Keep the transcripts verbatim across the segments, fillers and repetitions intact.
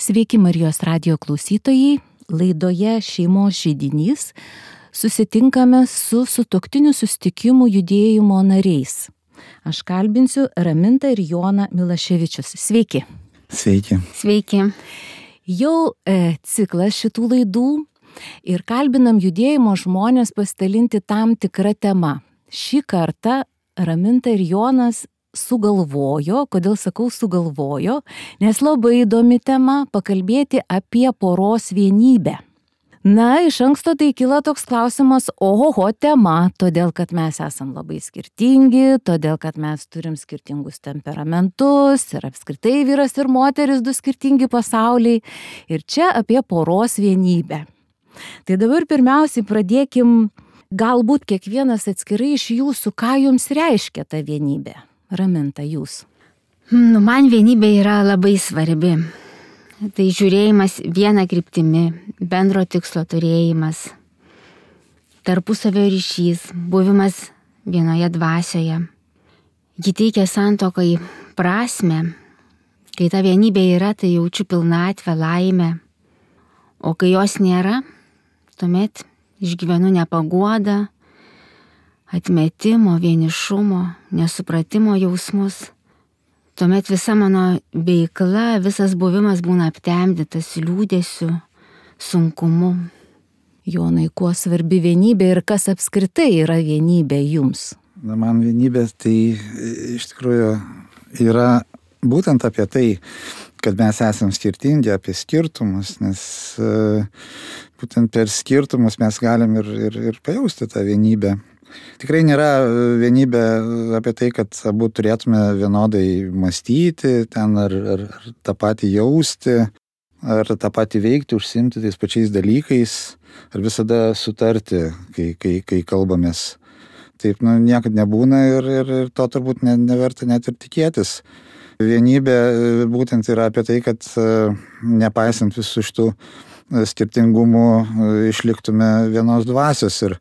Sveiki Marijos radijo klausytojai, laidoje Šeimos židinys susitinkame su sutuoktinių susitikimų judėjimo nariais. Aš kalbinsiu Ramintą ir Joną Milaševičius. Sveiki. Sveiki. Sveiki. Jau e, ciklas šitų laidų ir kalbinam judėjimo žmonės pasidalinti tam tikrą temą. Šį kartą Raminta ir Jonas sugalvojo, kodėl sakau sugalvojo, nes labai įdomi tema pakalbėti apie poros vienybę. Na, iš anksto tai kyla toks klausimas, ohoho tema, todėl kad mes esam labai skirtingi, todėl kad mes turim skirtingus temperamentus ir apskritai vyras ir moteris du skirtingi pasauliai ir čia apie poros vienybę. Tai dabar pirmiausiai pradėkim, galbūt kiekvienas atskirai iš jūsų, ką jums reiškia ta vienybė. Raminta, jūs. Nu, man vienybė yra labai svarbi. Tai žiūrėjimas viena kryptimi, bendro tikslo turėjimas, tarpusavio ryšys, buvimas vienoje dvasioje. Ji teikia santuokai prasmę. Kai ta vienybė yra, tai jaučiu pilnatvę, laimę. O kai jos nėra, tuomet išgyvenu nepaguodą, atmetimo, vienišumo, nesupratimo jausmus. Tuomet visa mano veikla, visas buvimas būna aptemdytas liūdesiu, sunkumu. Jonai, kuo svarbi vienybė ir kas apskritai yra vienybė jums? Na, man vienybė tai iš tikrųjų yra būtent apie tai, kad mes esam skirtingi, apie skirtumus, nes būtent per skirtumus mes galim ir, ir, ir pajausti tą vienybę. Tikrai nėra vienybė apie tai, kad abu turėtume vienodai mąstyti, ten ar, ar, ar tą patį jausti, ar tą patį veikti, užsiimti tais pačiais dalykais, ar visada sutarti, kai, kai, kai kalbamės. Taip, nu, niekad nebūna ir, ir, ir to turbūt ne, neverta net ir tikėtis. Vienybė būtent yra apie tai, kad nepaisant visų šitų skirtingumų išliktume vienos dvasios ir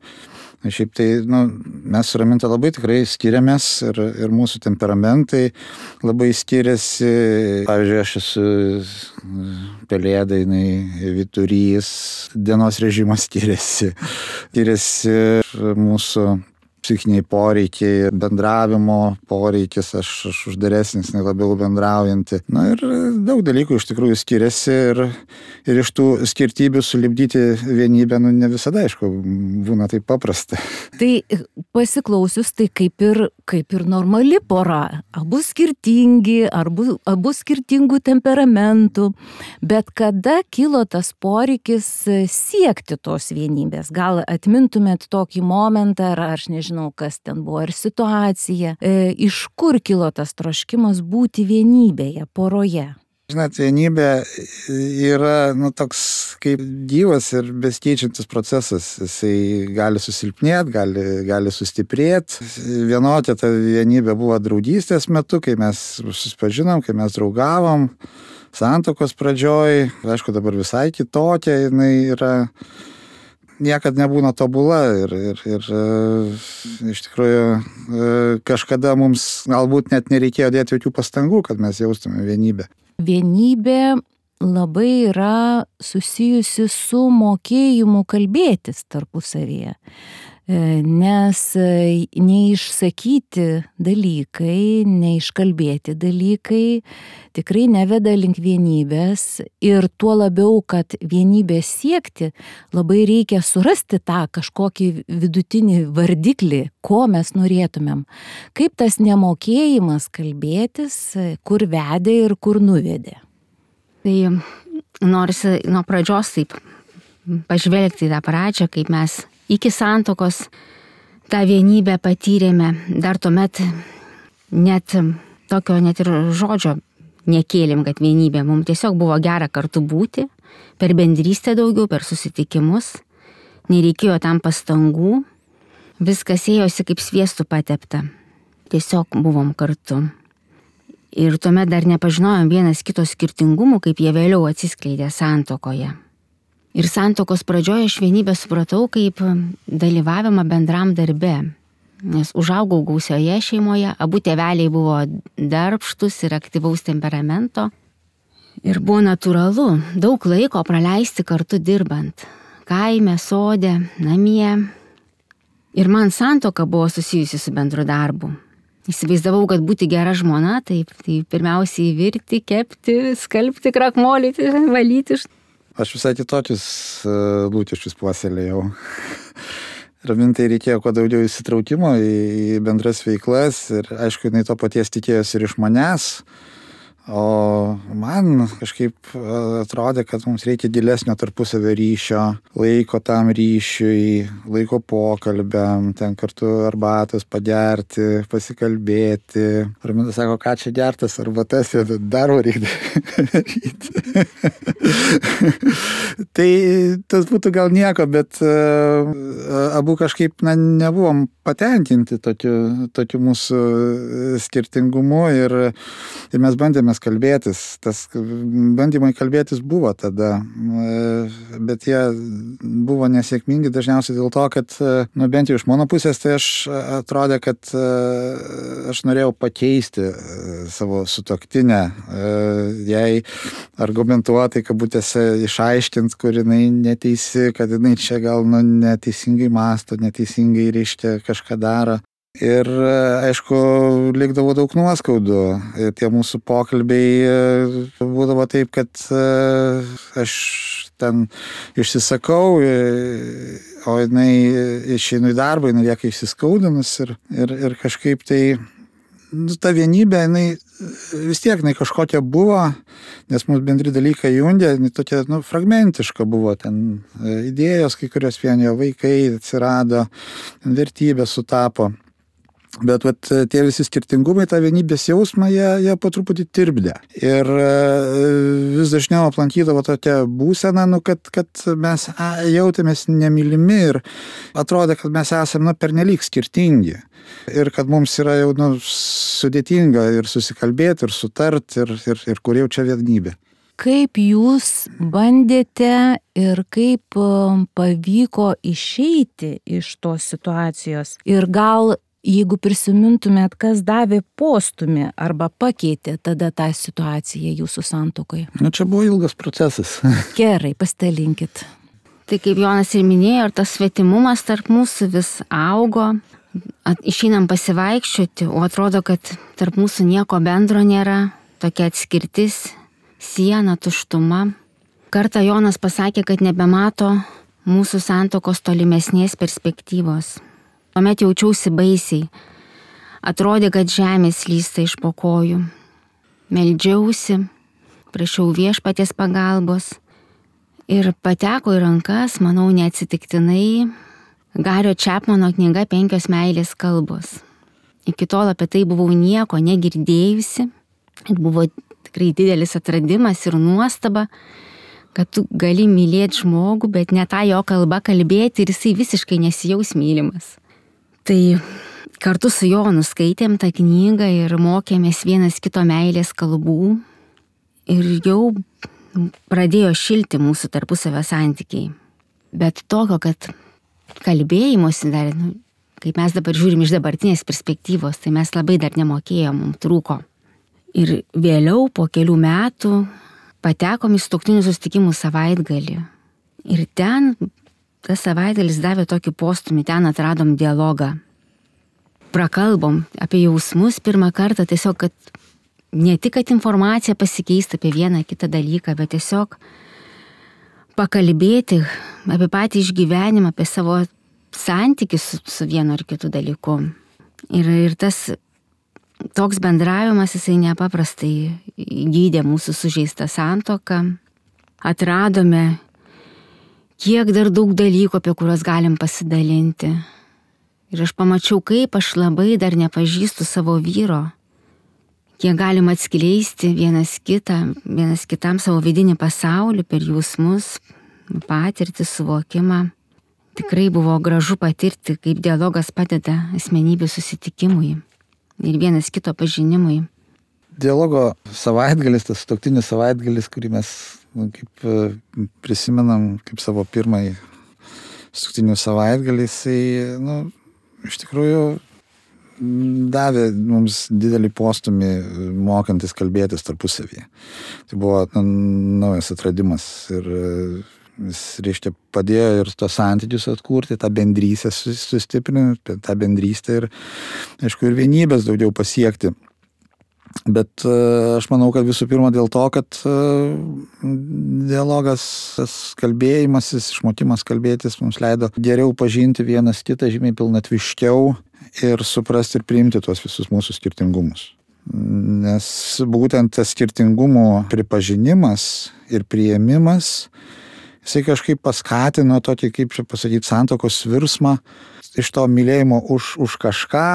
šiaip tai, nu, mes su Raminta labai tikrai skiriamės ir, ir mūsų temperamentai labai skiriasi. Pavyzdžiui, aš esu pelėda, jinai vyturys, dienos režimas skiriasi. Skiriasi mūsų psichiniai poreikiai, bendravimo poreikis, aš, aš uždaresnis, nei labiau bendraujanti. Na ir daug dalykų iš tikrųjų skiriasi ir, ir iš tų skirtybių sulipdyti vienybę, nu, ne visada, aišku, būna taip paprasta. Tai pasiklausius, tai kaip ir, kaip ir normali pora, abu skirtingi, abu, abu skirtingų temperamentų, bet kada kilo tas poreikis siekti tos vienybės? Gal atmintumėt tokį momentą, ar aš nežinau, Žinau, kas ten buvo, ir situacija. E, iš kur kilo tas troškimas būti vienybėje, poroje? Žinot, vienybė yra, nu, toks kaip gyvas ir besikeičiantis procesas. Jisai gali susilpnėti, gali, gali sustiprėti. Vienokia ta vienybė buvo draugystės metu, kai mes susipažinom, kai mes draugavom, santuokos pradžioj. Aišku, dabar visai kitokia jinai yra. Niekad nebūna tobula ir, ir, ir iš tikrųjų kažkada mums galbūt net nereikėjo dėti jokių pastangų, kad mes jaustume vienybę. Vienybė labai yra susijusi su mokėjimu kalbėtis tarpusavyje, nes neišsakyti dalykai, neiškalbėti dalykai tikrai neveda link vienybės ir tuo labiau, kad vienybės siekti, labai reikia surasti tą kažkokį vidutinį vardiklį, ko mes norėtumėm. Kaip tas nemokėjimas kalbėtis, kur vedė ir kur nuvedė. Tai norisi nuo pradžios taip pažvelgti į tą pradžią, kaip mes iki santuokos tą vienybę patyrėme, dar tuomet net tokio net ir žodžio nekėlėm, kad vienybė. Mums tiesiog buvo gera kartu būti, per bendrystę daugiau, per susitikimus, nereikėjo tam pastangų, viskas ėjosi kaip sviestų patepta, tiesiog buvom kartu. Ir tuomet dar nepažinojom vienas kito skirtingumų, kaip jie vėliau atsiskleidė santuokoje. Ir santuokos pradžioje aš vienybę supratau kaip dalyvavimą bendram darbe, nes užaugau gausioje šeimoje, abu tėveliai buvo darbštus ir aktyvaus temperamento. Ir buvo natūralu daug laiko praleisti kartu dirbant. Kaime, sode, namie. Ir man santuoka buvo susijusi su bendru darbu. Įsivaizdavau, kad būti gera žmona, tai, tai pirmiausiai virti, kepti, skalbti, krakmolyti, valyti. Aš visai kitokius lūkesčius puoselėjau. Ramintai reikėjo kuo daugiau įsitraukimo į bendras veiklas ir aišku, jinai to paties tikėjosi ir iš manęs. O man kažkaip atrodė, kad mums reikia gilesnio tarpusavio ryšio, laiko tam ryšiui, laiko pokalbiam, ten kartu arbatos pagerti, pasikalbėti. Raminta sako, ką čia gertas arbatas, darbo reikia daryti. Tai tas būtų gal nieko, bet abu kažkaip na, nebuvom patenkinti tokiu, tokiu mūsų skirtingumu ir, ir mes bandėme kalbėtis. Tas bandymai kalbėtis buvo tada, bet jie buvo nesėkmingi dažniausiai dėl to, kad, nu, bent jau iš mano pusės, tai aš atrodė, kad aš norėjau pakeisti savo sutuoktinę, jai argumentuotai, kabutėse, išaiškint, kur jinai neteisi, kad jinai čia gal nu, neteisingai mąsto, neteisingai reiškia kažką daro. Ir, aišku, likdavo daug nuoskaudų. Ir tie mūsų pokalbiai būdavo taip, kad aš ten išsisakau, o jinai išeinu į darbą, jinai lieka išsiskaudinus ir, ir, ir kažkaip tai nu, ta vienybė, jinai vis tiek jinai kažkokia buvo, nes mūsų bendri dalykai jungė, jinai tokia nu, fragmentiška buvo, ten idėjos, kai kurios vienijo vaikai atsirado, vertybės sutapo. Bet vat, tie visi skirtingumai, tą vienybės jausmą, jie, jie po truputį tirpdė. Ir vis dažniau aplankydavo tokia būsena, nu, kad, kad mes jautėmės nemylimi ir atrodė, kad mes esame nu, pernelyg skirtingi. Ir kad mums yra jau nu, sudėtinga ir susikalbėti, ir sutarti, ir, ir, ir kur jau čia vienybė. Kaip jūs bandėte ir kaip pavyko išeiti iš tos situacijos? Ir gal jeigu prisimintumėt, kas davė postumį arba pakeitė tada tą situaciją jūsų santuokoje? Nu, čia buvo ilgas procesas. Gerai, pasidalinkit. Tai kaip Jonas ir minėjo, ir tas svetimumas tarp mūsų vis augo. At, išeinam pasivaikščioti, o atrodo, kad tarp mūsų nieko bendro nėra. Tokia atskirtis, siena, tuštuma. Kartą Jonas pasakė, kad nebemato mūsų santuokos tolimesnės perspektyvos. Tuomet jaučiausi baisiai. Atrodė, kad žemė slysta iš po kojų. Meldžiausi, prašiau Viešpaties pagalbos ir pateko į rankas, manau, neatsitiktinai, Gario Čepmano knyga Penkios meilės kalbos. Iki tol apie tai buvau nieko negirdėjusi. Buvo tikrai didelis atradimas ir nuostaba, kad tu gali mylėti žmogų, bet ne tą jo kalbą kalbėti ir jisai visiškai nesijaus mylimas. Tai kartu su Jonu skaitėm tą knygą ir mokėmės vienas kito meilės kalbų ir jau pradėjo šilti mūsų tarpusavio santykiai. Bet tokio, kad kalbėjimosi dar, nu, kaip mes dabar žiūrim iš dabartinės perspektyvos, tai mes labai dar nemokėjom, mums trūko. Ir vėliau po kelių metų patekom į sutuoktinių susitikimų savaitgalį. Ir ten tas savaitgalis davė tokį postumį, ten atradom dialogą. Prakalbom apie jausmus pirmą kartą, tiesiog, kad ne tik, kad informacija pasikeista apie vieną kitą dalyką, bet tiesiog pakalbėti apie patį išgyvenimą, apie savo santykius su, su vienu ar kitu dalyku. Ir, ir tas toks bendravimas, jisai nepaprastai gydė mūsų sužeistą santuoką. Atradome kiek dar daug dalykų, apie kuriuos galim pasidalinti. Ir aš pamačiau, kaip aš labai dar nepažįstu savo vyro, kiek galim atskleisti vienas kitą, vienas kitam savo vidinį pasaulį per jausmus, patirtį, suvokimą. Tikrai buvo gražu patirti, kaip dialogas padeda asmenybių susitikimui ir vienas kito pažinimui. Dialogo savaitgalis, tas sutuoktinių savaitgalis, kurį mes nu, kaip prisimenam kaip savo pirmąjį sutuoktinių savaitgalį, jisai, nu, iš tikrųjų davė mums didelį postumį mokantis kalbėtis tarpusavyje. Tai buvo naujas atradimas ir jis, reiškia, padėjo ir tos santykius atkurti, tą bendrystę sustiprinti, tą bendrystę ir, aišku, ir vienybės daugiau pasiekti. Bet aš manau, kad visų pirma dėl to, kad dialogas, kalbėjimasis, išmokimas kalbėtis mums leido geriau pažinti vienas kitą, žymiai pilnatviškiau ir suprasti ir priimti tuos visus mūsų skirtingumus. Nes būtent tas skirtingumų pripažinimas ir priėmimas, jisai kažkaip paskatino tokį, kaip čia pasakyti, santuokos virsmą iš to mylėjimo už, už kažką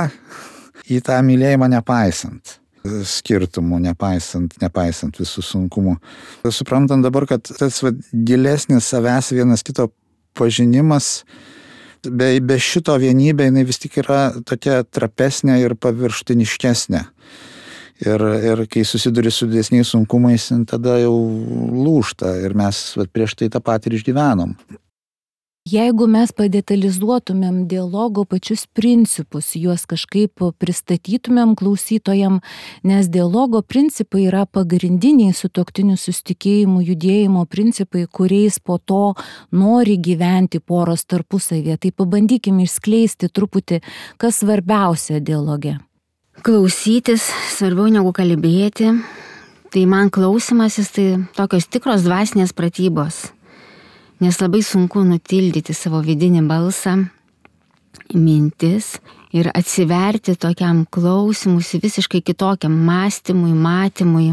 į tą mylėjimą nepaisant skirtumų, nepaisant, nepaisant visų sunkumų. Suprantant dabar, kad tas va, gilesnis savęs vienas kito pažinimas, be, be šito vienybė, jinai vis tik yra tokia trapesnė ir paviršutiniškesnė. Ir, ir kai susiduri su didesniais sunkumais, tada jau lūžta ir mes va, prieš tai tą patį ir išgyvenom. Jeigu mes padetalizuotumėm dialogo pačius principus, juos kažkaip pristatytumėm klausytojam, nes dialogo principai yra pagrindiniai sutuoktinių susitikėjimų judėjimo principai, kuriais po to nori gyventi poros tarpusavyje. Tai pabandykime išskleisti truputį, kas svarbiausia dialoge. Klausytis svarbiau negu kalbėti. Tai man klausimasis tai tokios tikros dvasinės pratybos. Nes labai sunku nutildyti savo vidinį balsą, mintis ir atsiverti tokiam klausimusi visiškai kitokiam mąstymui, matymui,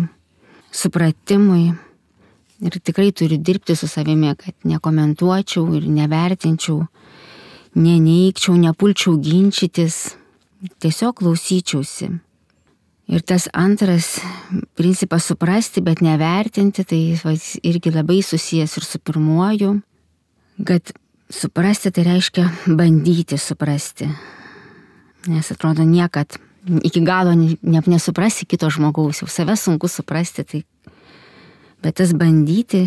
supratimui. Ir tikrai turiu dirbti su savimi, kad nekomentuočiau ir nevertinčiau, neneigčiau, nepulčiau ginčytis, tiesiog klausyčiausi. Ir tas antras principas suprasti, bet nevertinti, tai va, irgi labai susijęs ir su pirmuoju, kad suprasti tai reiškia bandyti suprasti. Nes atrodo niekad iki galo ne, nesuprasi kito žmogaus, jau save sunku suprasti, tai, bet tas bandyti,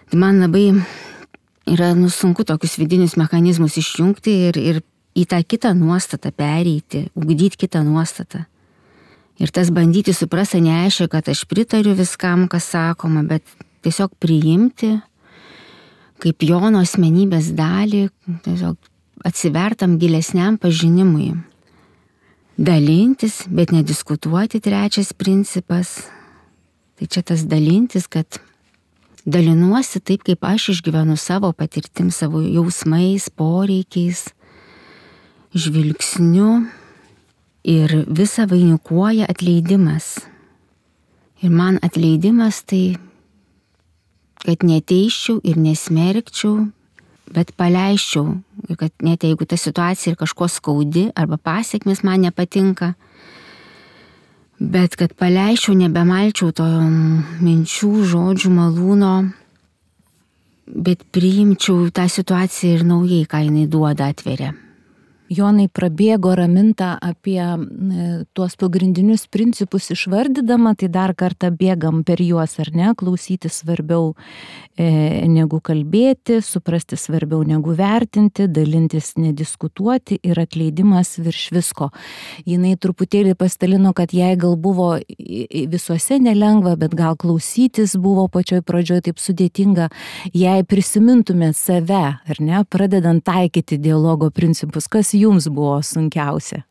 tai man labai yra nu, sunku tokius vidinius mechanizmus išjungti ir, ir į tą kitą nuostatą pereiti, ugdyti kitą nuostatą. Ir tas bandyti suprasti neaiškia, kad aš pritariu viskam, kas sakoma, bet tiesiog priimti kaip Jono asmenybės dalį, tiesiog atsivertam gilesniam pažinimui. Dalintis, bet nediskutuoti, trečias principas. Tai čia tas dalintis, kad dalinuosi taip, kaip aš išgyvenu savo patirtim, savo jausmais, poreikiais, žvilgsniu. Ir visą vainikuoja atleidimas. Ir man atleidimas tai, kad neteiščiau ir nesmerkčiau, bet paleisčiau. Ir kad net jeigu ta situacija ir kažko skaudi arba pasiekmes man nepatinka, bet kad paleisčiau, nebemalčiau to minčių, žodžių, malūno, bet priimčiau tą situaciją ir naujai, ką jinai duoda, atveria. Jonai prabėgo Raminta apie tuos pagrindinius principus išvardydama, tai dar kartą bėgam per juos, ar ne, klausyti svarbiau e, negu kalbėti, suprasti svarbiau negu vertinti, dalintis nediskutuoti ir atleidimas virš visko. Jinai truputėlį pastalino, kad jai gal buvo visuose nelengva, bet gal klausytis buvo pačioj pradžioj taip sudėtinga, jei prisimintumėt save, ar ne, pradedant taikyti dialogo principus, kas jums buvo sunkiausia?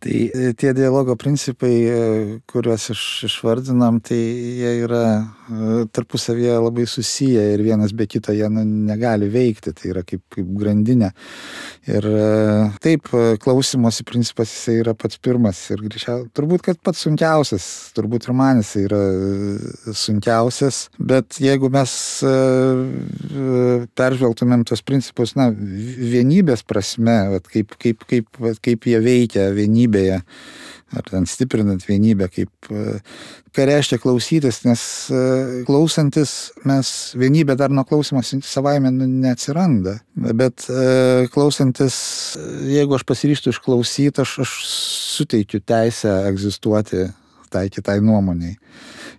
Tai tie dialogo principai, kuriuos iš, išvardinam, tai jie yra tarpusavyje labai susiję ir vienas be kito jie negali veikti, tai yra kaip, kaip grandinė. Ir taip, klausimosi principas jisai yra pats pirmas ir greičiau, turbūt, kad pats sunkiausias, turbūt ir man jisai yra sunkiausias, bet jeigu mes peržvelgtumėm tos principus, na, vienybės prasme, vat, kaip, kaip, kaip, vat, kaip jie veikia vienybėje, ar ten stiprinant vienybę, kaip, ką reiškia klausytis, nes klausantis mes vienybė dar nuo klausimas savaime neatsiranda, bet klausantis, jeigu aš pasiryžtu išklausyti, aš, aš suteikiu teisę egzistuoti tai kitai nuomoniai.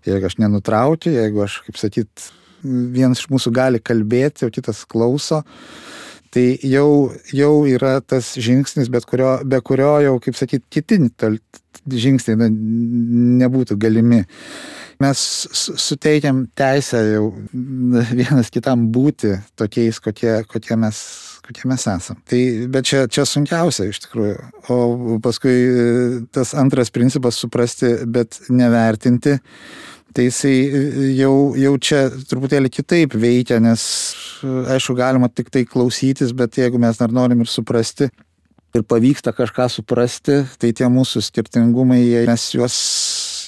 Jeigu aš nenutraukiu, jeigu aš, kaip sakyt, vienas iš mūsų gali kalbėti, o kitas klauso, Tai jau, jau yra tas žingsnis, bet kurio, be kurio jau, kaip sakyti, kiti žingsniai na, nebūtų galimi. Mes suteikiam teisę jau vienas kitam būti tokiais, kokie, kokie, mes, kokie mes esam. Tai, bet čia, čia sunkiausia iš tikrųjų. O paskui tas antras principas suprasti, bet nevertinti. Tai jisai jau, jau čia truputėlį kitaip veikia, nes aišku galima tik tai klausytis, bet jeigu mes dar norim ir suprasti ir pavyksta kažką suprasti, tai tie mūsų skirtingumai, mes juos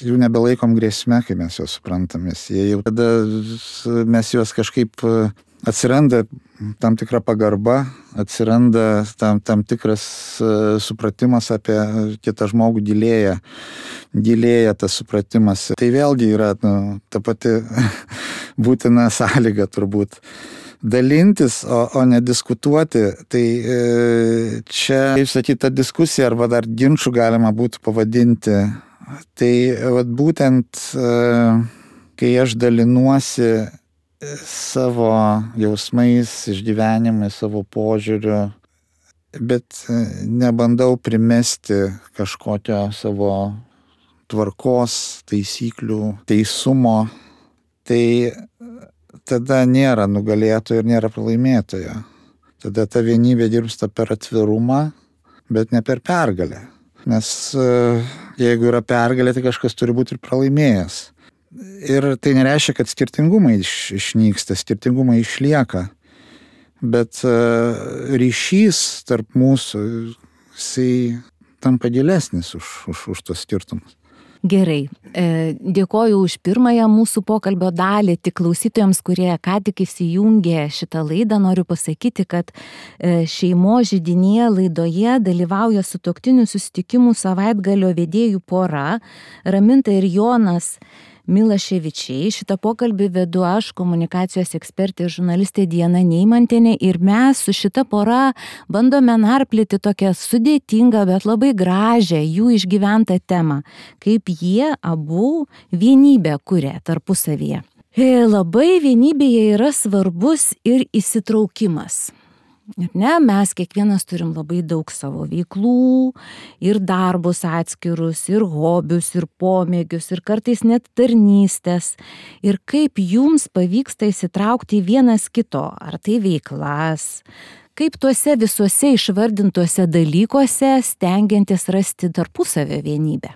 jų nebelaikom grėsme, kai mes juos suprantamės. Jie jau tada mes juos kažkaip atsiranda tam tikra pagarba, atsiranda tam, tam tikras supratimas apie kitą žmogų, gilėja, gilėja tas supratimas. Tai vėlgi yra nu, ta pati būtina sąlyga turbūt. Dalintis, o, o ne diskutuoti, tai e, čia, kaip sakyti, ta diskusija arba dar ginčų galima būtų pavadinti. Tai vat, būtent e, kai aš dalinuosi savo jausmais, išgyvenimais, savo požiūriu, bet nebandau primesti kažkokio savo tvarkos, taisyklių, teisumo, tai tada nėra nugalėtojo ir nėra pralaimėtojo. Tada ta vienybė dirbsta per atvirumą, bet ne per pergalę. Nes jeigu yra pergalė, tai kažkas turi būti ir pralaimėjęs. Ir tai nereiškia, kad skirtingumai iš, išnyksta, skirtingumai išlieka. Bet ryšys tarp mūsų, jisai tampa gilesnis už, už, už tos skirtumus. Gerai, dėkoju už pirmąją mūsų pokalbio dalį. Tik klausytojams, kurie ką tik įsijungė šitą laidą, noriu pasakyti, kad šeimos židinėje laidoje dalyvauja sutuoktinių susitikimų savaitgalio vedėjų pora Raminta ir Jonas Milaševičiai. Šitą pokalbį vedu aš, komunikacijos ekspertė ir žurnalistė Diana Neimantienė, ir mes su šita pora bandome narplyti tokią sudėtingą, bet labai gražią jų išgyventą temą, kaip jie abu vienybę kuria tarpusavyje. Labai vienybėje yra svarbus ir įsitraukimas. Ir ne, mes kiekvienas turim labai daug savo veiklų, ir darbus atskirus, ir hobius, ir pomėgius, ir kartais net tarnystės. Ir kaip jums pavyksta įsitraukti į vienas kito, ar tai veiklas, kaip tuose visuose išvardintuose dalykuose stengiantis rasti tarpusavio vienybę.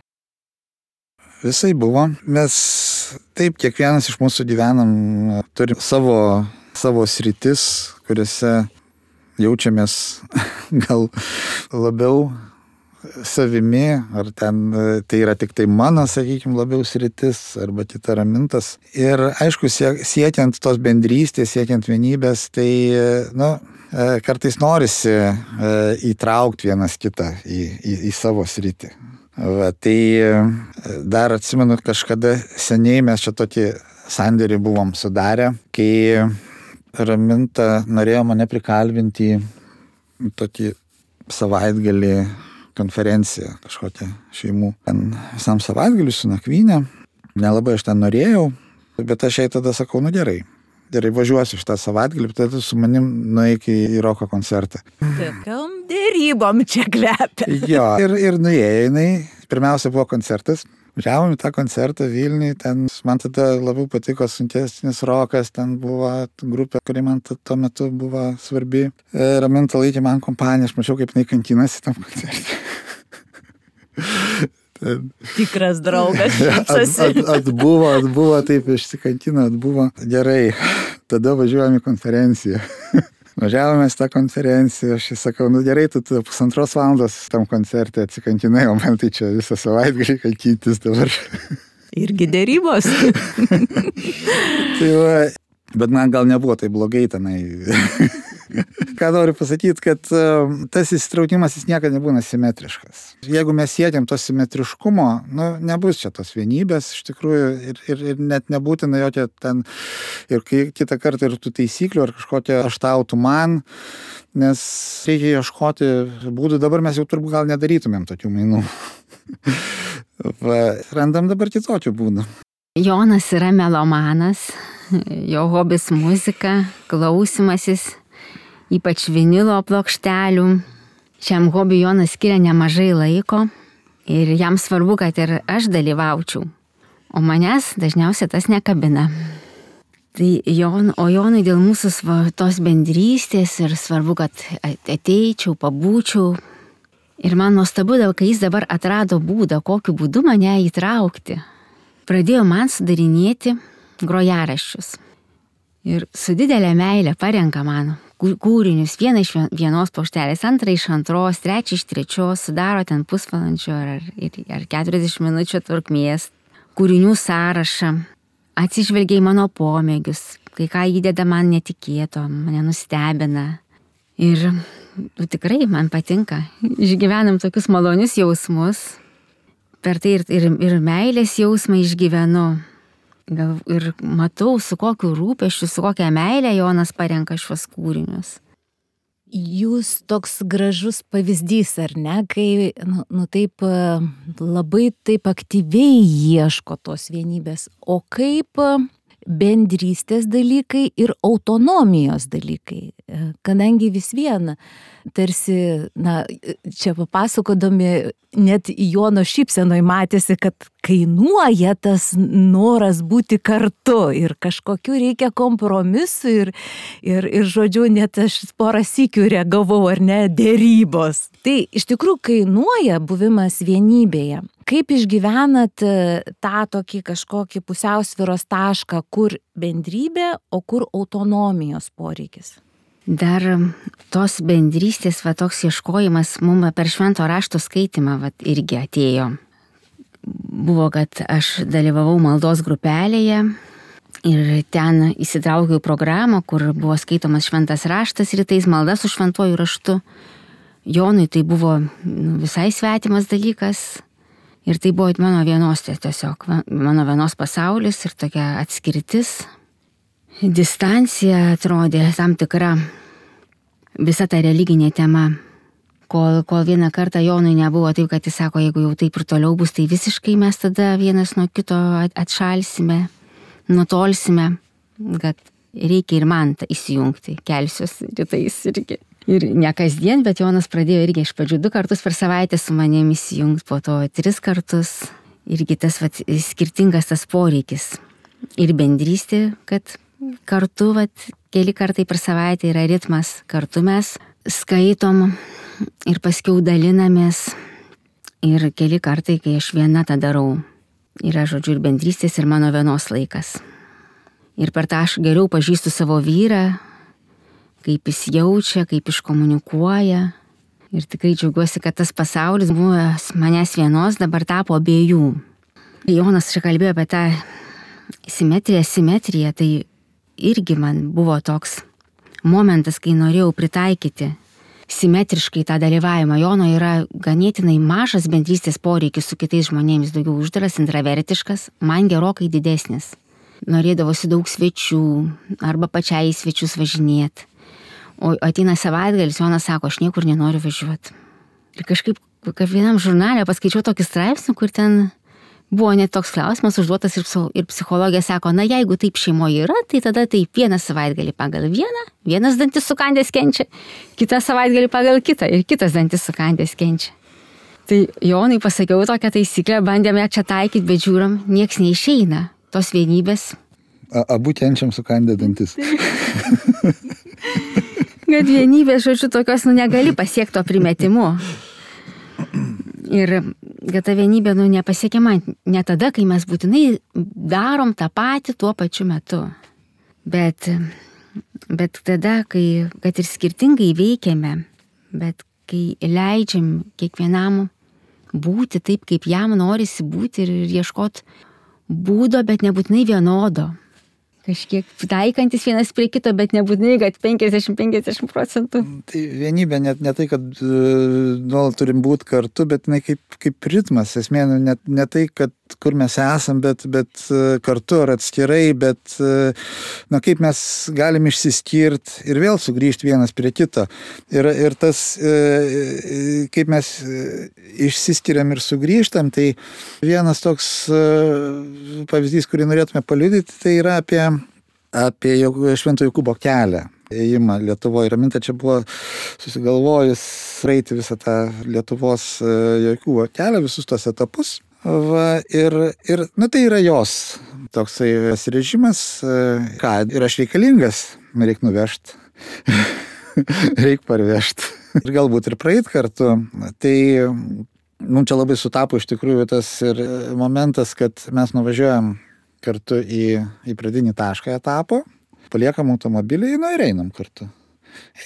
Visai buvo. Mes taip, kiekvienas iš mūsų gyvenam, turim savo, savo sritis, kuriuose jaučiamės gal labiau savimi, ar ten tai yra tik tai mano, sakykime, labiau sritis, arba kita Ramintas. Ir aišku, siekiant tos bendrystės, siekiant vienybės, tai nu, kartais norisi įtraukti vienas kitą į, į, į savo sritį. Va, tai dar atsimenu, kažkada seniai mes čia tokį sandėrį buvom sudarę, kai Raminta norėjo mane prikalbinti į tokį savaitgalį konferenciją kažkokią šeimų. Ten visam savaitgaliu su nakvynė. Nelabai aš ten norėjau, bet aš jai tada sakau, nu gerai, gerai važiuosiu šitą savaitgalį, tada su manim nueik į roko koncertą. Tokiom dėrybom čia kvepia. Jo, ir, ir nuėjo jinai. Pirmiausia buvo koncertas. Važiavom į tą koncertą Vilniui, ten man tada labiau patiko sunkesnis rokas, ten buvo grupė, kuri man tuo metu buvo svarbi. Raminta laikė man kompaniją, aš mačiau, kaip jinai kankinasi tam koncerte. Ten... Tikras draugas. At, at, atbuvo, atbuvo, taip išsikankino, atbuvo. Gerai, tada važiuojam į konferenciją. Važiavome į tą konferenciją, aš sakau, nu gerai, tu, tu pusantros valandos tam koncerte atsikankinai, o man tai čia visą savaitgalį kankintis dabar. Irgi dėrybos. Tai va, bet man gal nebuvo tai blogai tenai. Ką noriu pasakyti, kad tas įsitraukimas jis niekada nebūna simetriškas. Jeigu mes siekiam to simetriškumo, nu, nebus čia tos vienybės, iš tikrųjų, ir, ir, ir net nebūtina jokia ten, ir kitą kartą ir tų taisyklių, ar kažkokia aš tau, tu man, nes reikia ieškoti būdų, dabar mes jau turbūt gal nedarytumėm tokių mainų. Va, randam dabar kitokių būdų. Jonas yra melomanas, jo hobis muzika, klausimasis. ypač vinilo plokštelių. Šiam hobiui Jonas skiria nemažai laiko ir jam svarbu, kad ir aš dalyvaučiau, o manęs dažniausiai tas nekabina. Tai Jon, o Jonui dėl mūsų sva, tos bendrystės ir svarbu, kad ateičiau, pabūčiau. Ir man nuostabu, kai jis dabar atrado būdą, kokiu būdu mane įtraukti. Pradėjo man sudarinėti grojaraščius. Ir su didelė meilė parenka man kūrinius, vieną iš vienos plokštelės, antrą iš antros, trečią iš trečios, sudaro ten pusvalandžio ar, ar keturiasdešimt minučių trukmės, kūrinių sąrašą, atsižvelgia į mano pomėgius, kai ką įdeda man netikėto, mane nustebina. Ir nu, tikrai man patinka, išgyvenam tokius malonius jausmus, per tai ir, ir, ir meilės jausmą išgyvenu. Gal ir matau, su kokiu rūpesčiu, su kokia meilė Jonas parenka šios kūrinius. Jūs toks gražus pavyzdys, ar ne, kai nu, nu taip labai taip aktyviai ieško tos vienybės, o kaip bendrystės dalykai ir autonomijos dalykai, kadangi vis viena, tarsi, na, čia papasakodami, net Jono šypsenoj matėsi, kad kainuoja tas noras būti kartu ir kažkokiu reikia kompromisų ir, ir, ir žodžiu, net aš porą sykių reagavau, ar ne, dėrybos. Tai iš tikrųjų kainuoja buvimas vienybėje. Kaip išgyvenat tą tokį kažkokį pusiausvyros tašką, kur bendrybė, o kur autonomijos poreikis? Dar tos bendrystės, va, toks ieškojimas mums per švento rašto skaitimą va, irgi atėjo. Buvo, kad aš dalyvavau maldos grupelėje ir ten įsitraukiau programą, kur buvo skaitomas šventas raštas rytais, malda su šventuoju raštu. Jonui tai buvo nu, visai svetimas dalykas. Ir tai buvo mano vienos tiesiog, mano vienos pasaulis ir tokia atskirtis. Distancija atrodė tam tikra visa ta religinė tema. Kol, kol vieną kartą Jonui nebuvo taip, kad jis sako, jeigu jau taip ir toliau bus, tai visiškai mes tada vienas nuo kito atšalsime, nutolsime, kad reikia ir man įsijungti, kelsiuos rytais irgi. Ir ne kasdien, bet Jonas pradėjo irgi iš pradžių du kartus per savaitę su manimi įsijungti, po to tris kartus. Irgi tas vat, skirtingas tas poreikis. Ir bendrystė, kad kartu vat, keli kartai per savaitę yra ritmas. Kartu mes skaitom ir paskiau dalinamės. Ir keli kartai, kai aš viena tą darau. Yra, žodžiu, ir bendrystės, ir mano vienos laikas. Ir per tą aš geriau pažįstu savo vyrą, kaip jis jaučia, kaip iškomunikuoja. Ir tikrai džiaugiuosi, kad tas pasaulis buvo manęs vienos, dabar tapo abiejų. Jonas čia kalbėjo apie tą simetriją, simetriją, tai irgi man buvo toks momentas, kai norėjau pritaikyti simetriškai tą dalyvavimą. Jono yra ganėtinai mažas bendrystės poreikis su kitais žmonėmis, daugiau uždaras, intravertiškas, man gerokai didesnis. Norėdavosi daug svečių, arba pačiai į svečius važinėti. O ateina savaitgalis, Jonas sako, aš niekur nenoriu važiuoti. Ir kažkaip, kaip vienam žurnale paskaičiau tokį straipsnį, kur ten buvo net toks klausimas užduotas ir, ir psichologija sako, na jeigu taip šeimoje yra, tai tada taip vieną savaitgalį pagal vieną, vienas dantis sukandęs kenčia, kitą savaitgalį pagal kitą ir kitas dantis sukandęs kenčia. Tai Jonui pasakiau tokią taisyklę, bandėme čia taikyti, bet žiūram, nieks neišeina tos vienybės. A, abu kenčiam sukandę dantis. Kad vienybės, žodžiu, tokios, nu, negali pasiekti to primetimu. Ir kad ta vienybė, nu, nepasiekiama ne tada, kai mes būtinai darom tą patį tuo pačiu metu. Bet, bet tada, kai, kad ir skirtingai veikiame, bet kai leidžiam kiekvienam būti taip, kaip jam norisi būti ir ieškoti būdo, bet nebūtinai vienodo. Kažkiek taikantis vienas prie kito, bet nebūtinai, kad penkiasdešimt penkiasdešimt procentų. Tai vienybė ne, ne tai, kad nuolat turim būti kartu, bet ne kaip, kaip ritmas. Esmė, ne, ne tai, kad kur mes esam, bet, bet kartu ar atskirai, bet na, kaip mes galim išsiskirti ir vėl sugrįžti vienas prie kito. Ir, ir tas, kaip mes išsiskiriam ir sugrįžtam, tai vienas toks pavyzdys, kurį norėtume paliudyti, tai yra apie, apie Švento Jokūbo kelią. ėjimą Lietuvoje. Raminta čia buvo susigalvojus praeiti visą tą Lietuvos jokių kelią, visus tos etapus. Va, ir, ir, nu, tai yra jos toksai pasirežimas, ką, ir aš reikalingas, reik nuvežti, reik parvežti. Ir galbūt ir praeit kartu. Tai mums čia labai sutapo iš tikrųjų tas ir momentas, kad mes nuvažiuojam kartu į, į pradinį tašką etapo, paliekam automobilį, nu ir einam kartu.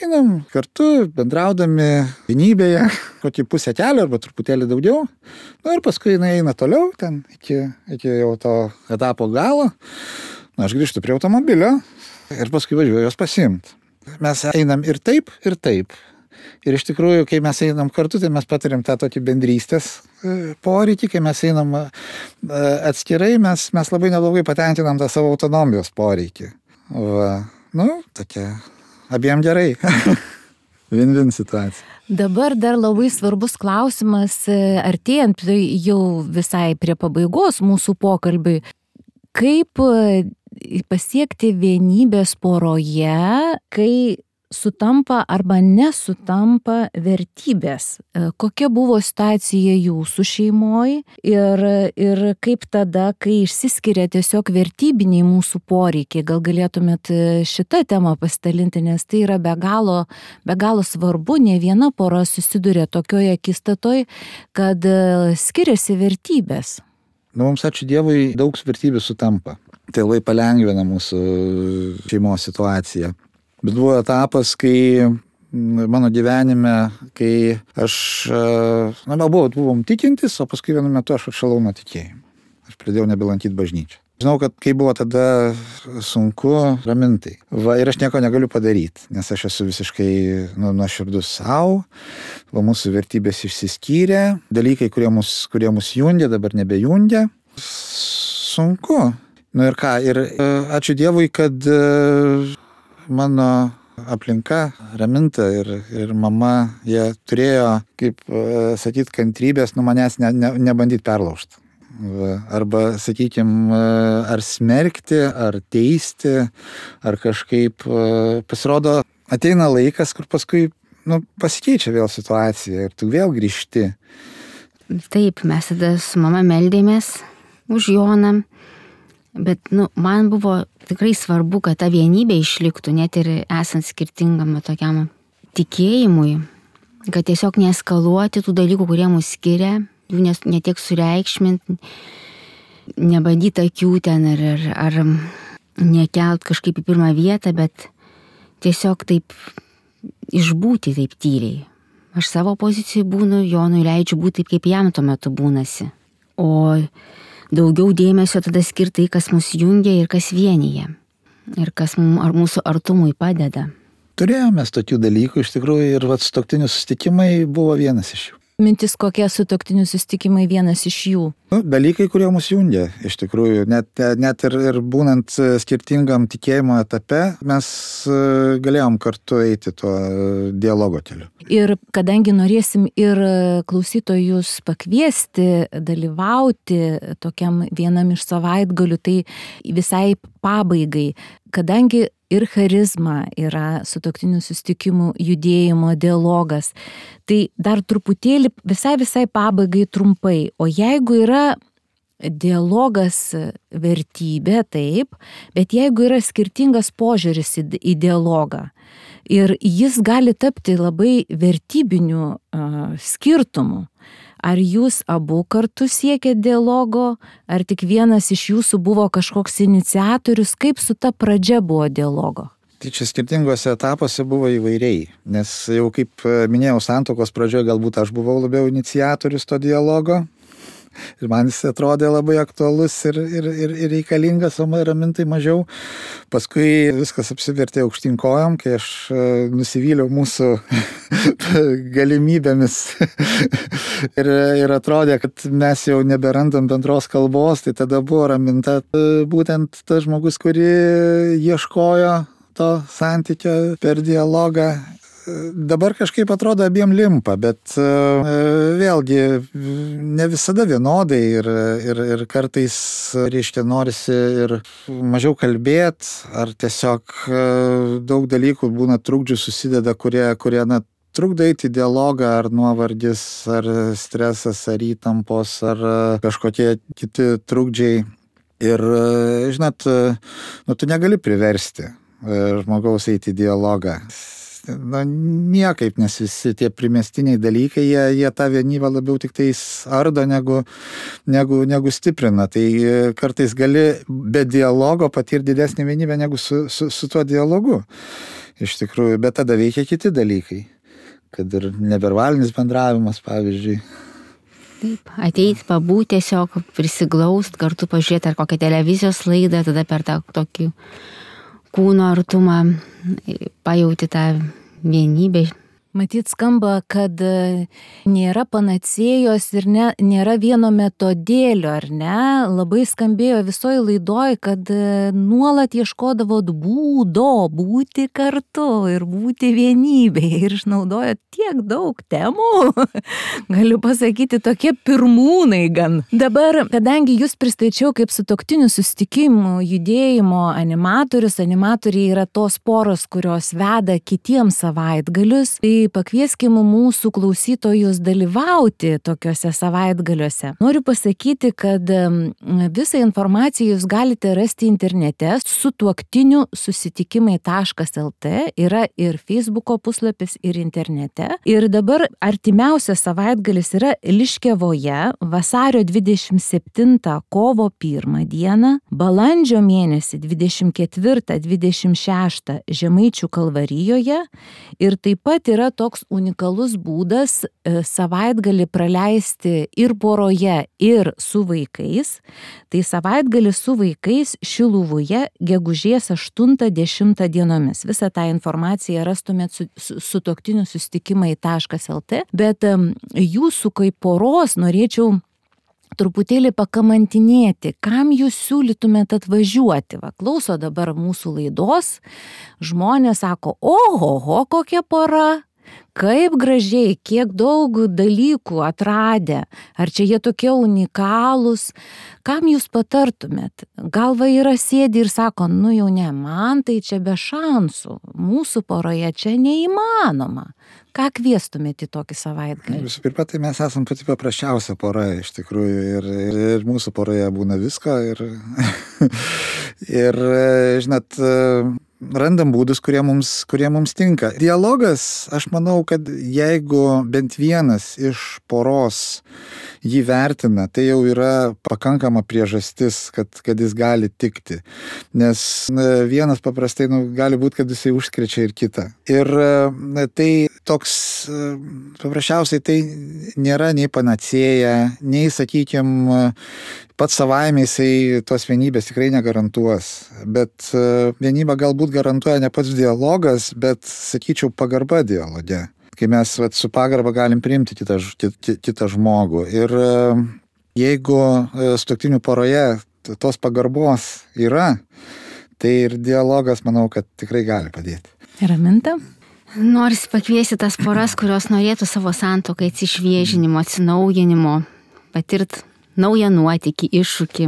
Einam kartu, bendraudami vienybėje, kokį pusę kelio arba truputėlį daugiau. Nu ir paskui jinai eina toliau, ten iki, iki jau to etapo galo. Nu, aš grįžtu prie automobilio ir paskui važiuoju jos pasiimti. Mes einam ir taip, ir taip. Ir iš tikrųjų, kai mes einam kartu, tai mes patiriam tą tokį bendrystės poreikį, kai mes einam atskirai, mes, mes labai neblogai patenkinam tą savo autonomijos poreikį. Va, nu, tokia, abiem gerai. Vin-vin situacija. Dabar dar labai svarbus klausimas, artėjant jau visai prie pabaigos mūsų pokalbiui. Kaip pasiekti vienybės poroje, kai sutampa arba nesutampa vertybės? Kokia buvo situacija jūsų šeimoje ir, ir kaip tada, kai išsiskiria tiesiog vertybiniai mūsų poreikiai? Gal galėtumėt šitą temą pasidalinti, nes tai yra be galo, be galo svarbu. Ne viena pora susiduria tokioje akistatoj, kad skiriasi vertybės. Nu, mums ačiū Dievui daug vertybių sutampa. Tai labai palengvina mūsų šeimos situaciją. Bet buvo etapas, kai mano gyvenime, kai aš, na, buvo, buvom tikintis, o paskui vienu metu aš atšalau nuo tikėjimo. Aš pradėjau nebelankyti bažnyčią. Žinau, kad kai buvo tada sunku, Ramintai. Va, ir aš nieko negaliu padaryti, nes aš esu visiškai nu, nuoširdus savo, va, mūsų vertybės išsiskyrė, dalykai, kurie mus, kurie mus jungia, dabar nebejungia. Sunku. Nu ir ką, ir ačiū Dievui, kad mano aplinka, Raminta ir, ir mama, jie turėjo, kaip sakyt, kantrybės, nu manęs ne, ne, nebandyti perlaužti. Arba, sakykime, ar smerkti, ar teisti, ar kažkaip pasirodo, ateina laikas, kur paskui nu, pasikeičia vėl situacija ir tu vėl grįžti. Taip, mes tada su mama meldėmės už Joną, bet nu, man buvo tikrai svarbu, kad ta vienybė išliktų, net ir esant skirtingam tokiam tikėjimui, kad tiesiog neeskaluoti tų dalykų, kurie mus skiria, jų netiek sureikšminti, nebandyti akių ten ar, ar, ar nekelt kažkaip į pirmą vietą, bet tiesiog taip išbūti taip tyliai. Aš savo pozicijai būnu, Jonui leidžiu būti taip, kaip jam tuo metu būnasi. O daugiau dėmesio tada skirti, kas mus jungia ir kas vienyje. Ir kas mums, ar mūsų artumui padeda. Turėjome tokių dalykų iš tikrųjų ir vat sutuoktinių susitikimai buvo vienas iš jų. Mintis, kokie sutuoktinių susitikimai vienas iš jų? Nu, dalykai, kurie mus jungia, iš tikrųjų, net, net ir, ir būnant skirtingam tikėjimo etape, mes galėjom kartu eiti tuo dialogo keliu. Ir kadangi norėsim ir klausytojus pakviesti, dalyvauti tokiam vienam iš savaitgalių, tai visai pabaigai, kadangi ir charizma yra sutuoktinių susitikimų judėjimo dialogas. Tai dar truputėlį visai visai pabaigai trumpai. O jeigu yra dialogas vertybė, taip, bet jeigu yra skirtingas požiūris į, į dialogą ir jis gali tapti labai vertybiniu uh, skirtumu, ar jūs abu kartu siekėt dialogo, ar tik vienas iš jūsų buvo kažkoks iniciatorius, kaip su ta pradžia buvo dialogo? Tai čia skirtingose etapuose buvo įvairiai, nes jau kaip minėjau, santuokos pradžioje galbūt aš buvau labiau iniciatorius to dialogo ir man jis atrodė labai aktualus ir, ir, ir, ir reikalingas, o Ramintai mažiau. Paskui viskas apsivertė aukštyn kojom, kai aš nusivyliau mūsų galimybėmis ir, ir atrodė, kad mes jau neberandam bendros kalbos, tai tada buvo Raminta būtent tas žmogus, kuri ieškojo to santykio per dialogą. dabar kažkaip atrodo abiem limpa, bet vėlgi ne visada vienodai ir, ir, ir kartais, reiškia, norisi ir mažiau kalbėti, ar tiesiog daug dalykų būna trukdžių susideda, kurie, kurie na, trukdo eiti į dialogą, ar nuovargis, ar stresas, ar įtampos, ar kažkokie kiti trukdžiai. Ir, žinot, nu, tu negali priversti žmogaus eiti į dialogą. Na, niekaip, nes visi tie primestiniai dalykai, jie, jie tą vienybę labiau tik tais ardo, negu, negu, negu stiprina. Tai kartais gali be dialogo patirti didesnį vienybę negu su, su, su tuo dialogu. Iš tikrųjų, bet tada veikia kiti dalykai, kad ir neverbalinis bendravimas, pavyzdžiui. Taip, ateit, pabūti tiesiog, prisiglaust, kartu pažiūrėti ar kokią televizijos laidą, tada per tą tokį kūno artumą pajauti tą vienybę. Matyt, skamba, kad nėra panacėjos ir ne, nėra vieno metodėlio, ar ne? Labai skambėjo visoje laidoje, kad nuolat ieškodavot būdo būti kartu ir būti vienybėje ir išnaudojot tiek daug temų. Galiu pasakyti, tokie pirmūnai gan. Dabar, kadangi jūs pristačiau kaip sutuoktinių susitikimų judėjimo animatorius, animatoriai yra tos poros, kurios veda kitiems savaitgalius, tai pakvieskime mūsų klausytojus dalyvauti tokiuose savaitgaliuose. Noriu pasakyti, kad visą informaciją jūs galite rasti internete sutuoktinių susitikimai taškas el tė, yra ir Facebooko puslapis, ir internete. Ir dabar artimiausias savaitgalis yra Liškevoje, vasario dvidešimt septintą kovo pirmą dieną, balandžio mėnesį dvidešimt ketvirtą dvidešimt šeštą Žemaičių Kalvarijoje ir taip pat yra toks unikalus būdas savaitgalį praleisti ir poroje, ir su vaikais. Tai savaitgalį su vaikais Šiluvoje gegužės aštuntą dešimtą dienomis. Visą tą informaciją rastumėt su, su, sutuoktinių susitikimai taškas el tė, bet jūsų kaip poros norėčiau truputėlį pakamantinėti, kam jūs siūlytumėt atvažiuoti. Va, klauso dabar mūsų laidos, žmonės sako, ohoho, kokia pora, kaip gražiai, kiek daug dalykų atradę, ar čia jie tokie unikalūs, kam jūs patartumėt? Gal va yra sėdi ir sako, nu jau ne, man tai čia be šansų, mūsų poroje čia neįmanoma. Ką kviestumėte į tokį savaitgalį? Visų pirma, tai mes esam pati paprasčiausia pora, iš tikrųjų, ir, ir, ir mūsų poroje būna visko, ir, ir žinot, randam būdus, kurie mums, kurie mums tinka. Dialogas, aš manau, kad jeigu bent vienas iš poros jį vertina, tai jau yra pakankama priežastis, kad, kad jis gali tikti. Nes vienas paprastai nu, gali būti, kad jisai užkrečia ir kitą. Ir tai toks, paprasčiausiai tai nėra nei panacėja, nei, sakykime, pats savaime jisai tos vienybės tikrai negarantuos. Bet vienybę galbūt garantuoja ne pats dialogas, bet, sakyčiau, pagarba dialoge. Kai mes vat, su pagarba galim priimti kitą, kitą žmogų. Ir jeigu sutuoktinių poroje tos pagarbos yra, tai ir dialogas, manau, kad tikrai gali padėti. Raminta? Norisi pakviesti tas poras, kurios norėtų savo santuokai atsišviežinimo, atsinaujinimo, patirt naują nuotykį, iššūkį.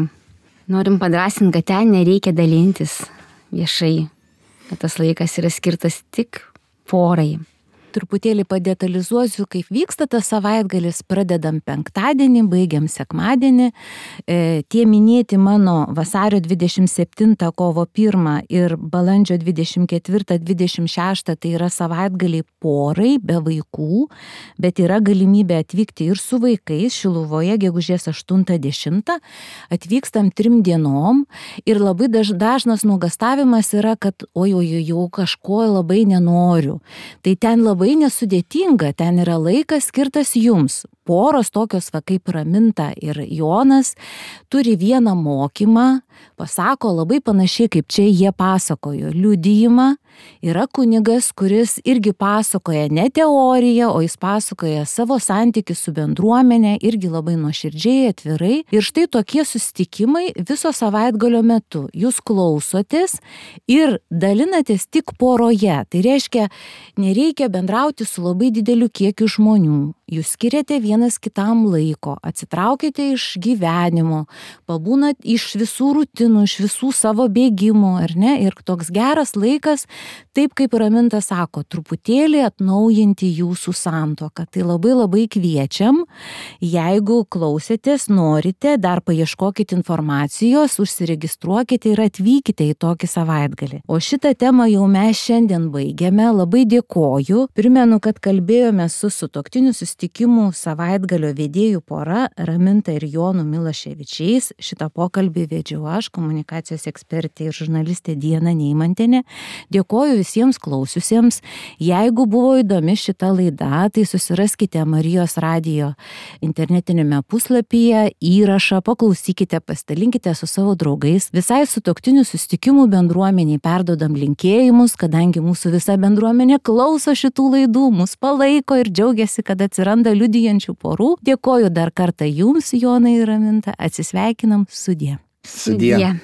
Norim padrasinti, kad ten nereikia dalintis viešai, kad tas laikas yra skirtas tik porai. Truputėlį padetalizuosiu, kaip vyksta tas savaitgalis, pradedam penktadienį, baigiam sekmadienį. E, tie minėti mano vasario dvidešimt septintą kovo pirmą ir balandžio dvidešimt ketvirtą dvidešimt šeštą tai yra savaitgaliai porai be vaikų, bet yra galimybė atvykti ir su vaikais. Šiluvoje gegužės aštuntą dešimtą atvykstam trim dienom ir labai daž, dažnas nuogastavimas yra, kad oi, oi, jau kažko labai nenoriu. Tai ten labai nesudėtinga, ten yra laikas skirtas jums. poros tokios va kaip Raminta ir Jonas turi vieną mokymą, pasako labai panašiai kaip čia jie pasakojo liudijimą. Yra kunigas, kuris irgi pasakoja ne teoriją, o jis pasakoja savo santykį su bendruomenė, irgi labai nuoširdžiai, atvirai. Ir štai tokie susitikimai viso savaitgalio metu. Jūs klausotės ir dalinatės tik poroje. Tai reiškia, nereikia bendrauti su labai dideliu kiekiu žmonių. Jūs skiriate vienas kitam laiko, atsitraukite iš gyvenimo, pabūnat iš visų rutinų, iš visų savo bėgimų, ar ne? Ir toks geras laikas, taip kaip Raminta sako, truputėlį atnaujinti jūsų santuoką. Tai labai labai kviečiam, jeigu klausėtės, norite, dar paieškokite informacijos, užsiregistruokite ir atvykite į tokį savaitgalį. O šitą temą jau mes šiandien baigiame. Labai dėkoju. Primenu, kad kalbėjome su sutuoktinių susitikimų savaitgalio vedėjų pora Raminta ir Jonu Milaševičiais. Šitą pokalbį vedžiau aš, komunikacijos ekspertė ir žurnalistė Diana Neimantienė. Dėkoju visiems klausiusiems. Jeigu buvo įdomi šita laida, tai susiraskite Marijos radijo internetinėme puslapyje įrašą, paklausykite, pasidalinkite su savo draugais. Visai sutuoktinių susitikimų bendruomeniai perduodam linkėjimus, kadangi mūsų visa bendruomenė klauso šitų laidų, mus palaiko ir džiaugiasi, kad atsiranda liudijančių porų. Dėkoju dar kartą jums, Jonai ir Raminta. Atsisveikinam, sudie. Sudie.